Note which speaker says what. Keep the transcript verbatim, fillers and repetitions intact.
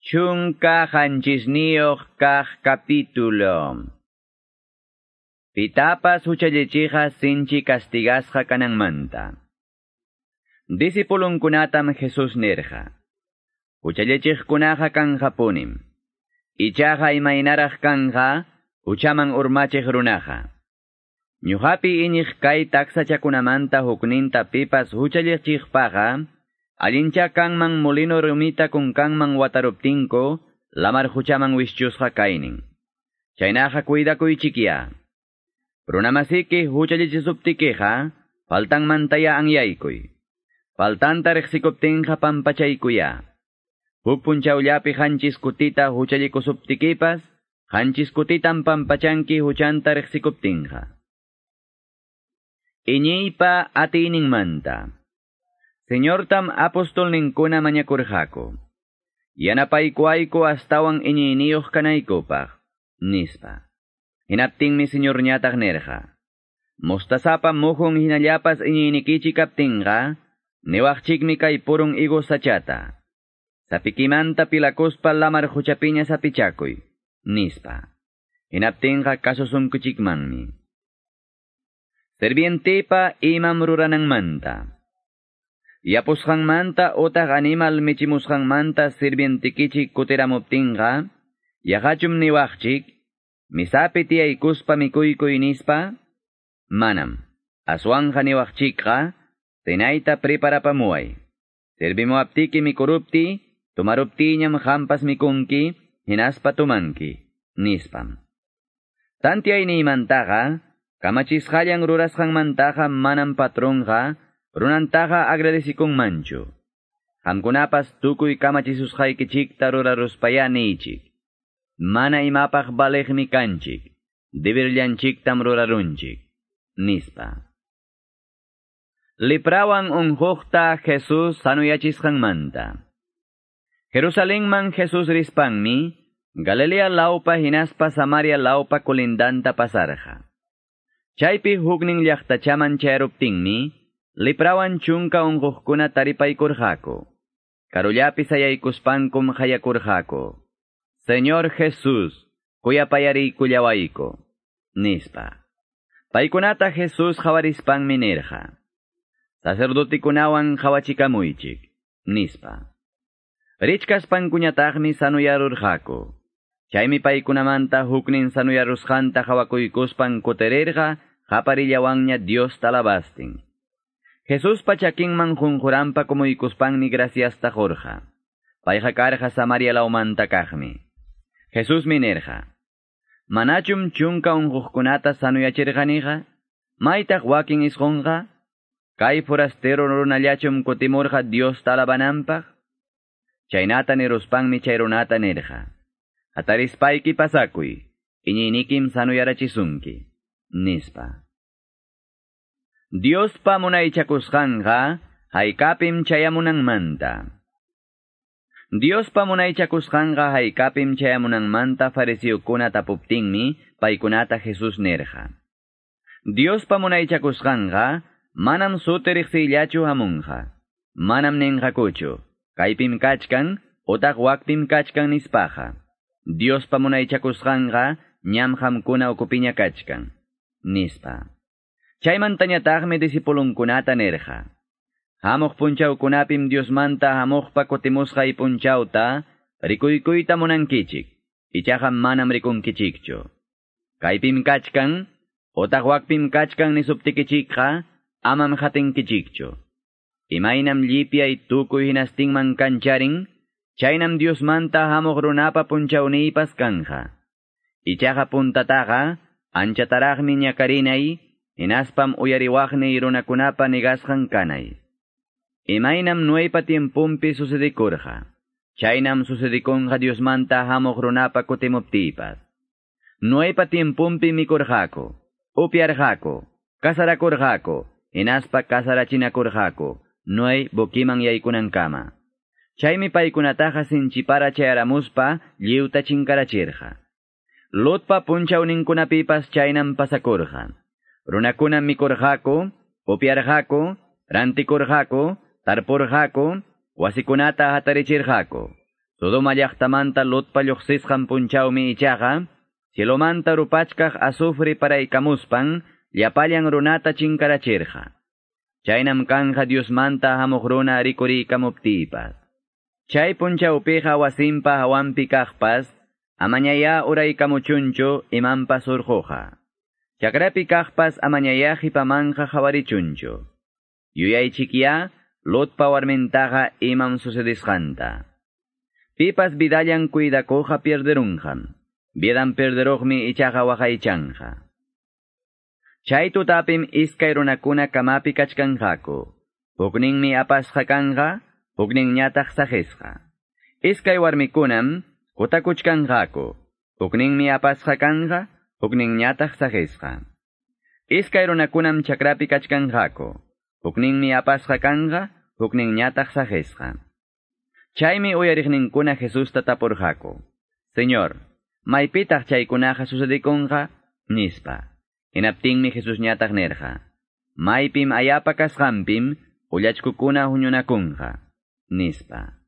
Speaker 1: Chunka qanchisniyuq kaq capítulo. Pitapas huchallichiqa sinchi castigasqa kananmanta. Discipulunkunatam Jesus nirqa. Huchallichiqkunaqa kanqapunim. Ichaqa imaynaraq kanqa huchaman urmachiq runaqa. Ñuqapi iñiq kay taksachakunamanta hukninta pipas huchallichiqpaqa, allincha kanman molino rumita kunkanman wataruptinko, lamar huchaman wischusqa kaynin. Chaynaqa cuidakuychikya. Runamasiki huchallichisuptikiqa, faltanmantaya anyaykuy. Faltanta riqsikuptinqa pampachaykuya. Huk punchawllapi qanchis kutita huchallikusuptikipas, qanchis kutitam pampachanki huchanta riqsikuptinqa. Iñiypa atiyninmanta. Señortam apostolninkuna mañakurqaku. Yanapaykuayku astawan iñiyniyuq kanaykupaq, nispa. Hinaptinmi Señorñataq nirqa. Mostazapa muhun hinallapas iñiynikichik kaptinqa, niwaqchikmi kay purun higo sachata. Sapikimanta pilakuspa lamar huchapiña sapichakuy, nispa. Hinaptinqa kasusunkuchikmanmi. Servientepa imam rurananmanta. Yapusqanmanta utaq animal michimusqanmanta sirvientikichik kutiramuptinqa, yaqachum niwaqchik, misapi tiyaykuspa mikuykuy nispa? Manam. Aswanja niwaqchikqa, cenayta preparapamuway. Servimuaptiki mikurupti, tumaruptiñam qampas mikunki, hinaspa tumanki, nispam. Tantiayniymantaqa, kamachisqallan rurasqanmantaqa manam patronqa, runantaqa agradecikunmanchu. Qamkunapas tukuy kamachisusqaykichikta ruraruspaya niychik. Mana imapaq baliqmi kanchik, dibirllanchiktam rurarunchik, nispa. Leprawan unquqta Jesus sanuyachisqanmanta. Jerusalenman Jesus rispanmi, Galilea laupa hinaspa Samaria laupa kolindanta pasarqa. Chaypi huknin llaqtachaman chayaruptinmi, leprawan chunka unquqkuna taripaykurqaku. Karullapi sayaykuspankum qayakurqaku. Señor Jesús, kuyapayariykullawayku, nispa. Paykunata Jesús qawarispanmi nirqa. Sacerdotikunawan qawachikamuychik, nispa. Richkaspankuñataqmi sanuyarurqaku. Chaymi paykunamanta huknin sanuyarusqanta qawakuykuspan kutirirqa qaparillawanña Diosta alabastin. Jesuspa chakinman qunquranpa kumuykuspanmi graciasta qurqa. Payqa karqa Samaria lawmanta kaqmi. Jesusmi nirqa. Manachum chunka unquqkunata sanuyachirqaniqa? Maytaq wakin isqunqa? Kay forastero runallachum kutimurqa Diosta alabananpaq? Chaynata niruspanmi chay runata nirqa. Hatarispayki pasakuy, iñiynikim sanuyarachisunki, nispa. Diospa munaychakusqanqa haykapim chayamunanmanta. Diospa munaychakusqanqa haykapim chayamunanmanta fariseokuna tapuptinmi paykunata Jesus nirqa. Diospa munaychakusqanqa manam suti riqsiyllachu hamunqa. Manam ninqakuchu, kaypim kachkan utaq wakpim kachkan nispaqa. Diospa munaychakusqanqa ñam qamkuna ukupiña kachkan, nispa. Chaymantañataqmi discipulunkunata nirqa. Hamuq punchawkunapim Diosmanta hamuqpa kutimusqay punchawta rikuykuyta munankichik, ichaqa manam rikunkichikchu. Kaypim kachkan, utaq wakpim kachkan nisuptikichikqa, amam hatinkichikchu. Imaynam llipyay tukuy hinastinman kancharin, chaynam Diosmanta hamuq runapa punchawniypas kanja. Ichaqa puntataqa, anchataraqmi ñakarinay, hinaspam uyariwaqniy runakunapa negasqan kanay. Imaynam Noepa tiempumpi sucedikurqa, chaynam sucedikunqa Diosmanta hamuq runapa kutimuptiypas. Noepa tiempumpi mikurqaku, upyarqaku, kasarakurqaku, hinaspa kasarachinakurqaku, Noe bukiman yaykunankama. Chaymi paykunataqa sinchipara chayaramuspa lliwta chinkarachirqa. Lotpa punchawninkunapipas chaynam pasakurqa. Runakuna mikurqaku, upyarqaku, rantikurqaku, tarpurqaku, wasikunata hatarichirqaku. Sodoma llaqtamanta Lotpa lluqsisqan punchawmi ichaqa, cielomanta rupachkaq azufre paraykamuspan, llapallan runata chinkarachirqa. Chaynam kanja Diosmanta hamuq runa rikuriykamuptipas. Chay punchawpiqa wasinpa hawanpi kaqpas, amañaya uraykamuchunchu imanpas urquqa. Chakrapi kaqpas amañaya qhipamanja qhawarichunchu. Yuyaychikya Lotpa warmintaqa imam sucedisqanta. Pipas vidallan cuidakuqa pierderunqam. Vidan perderuqmi ichaqa waqaychanja. Chay tutapim iskay runakuna kamapi kachkanqaku. Hukninmi apasqa kanqa, hukninñataq saqisqa. Iskay warmikunam kutakuchkanqaku. Hukninmi apasqa kanqa, hukninñataq saqisqa. Iskay runakunam chakrapi kachkanqaku. Hukninmi apasqa kanqa, hukninñataq saqisqa. Chaymi uyariqninkuna Jesusta tapurqaku. Señor, maypitaq chaykunaqa sucedikunqa? Nispa. Hinaptinmi Jesus ñataq nirqa. Maypim ayapa kasqanpim ullachkukuna huñunakunqa. Nispa.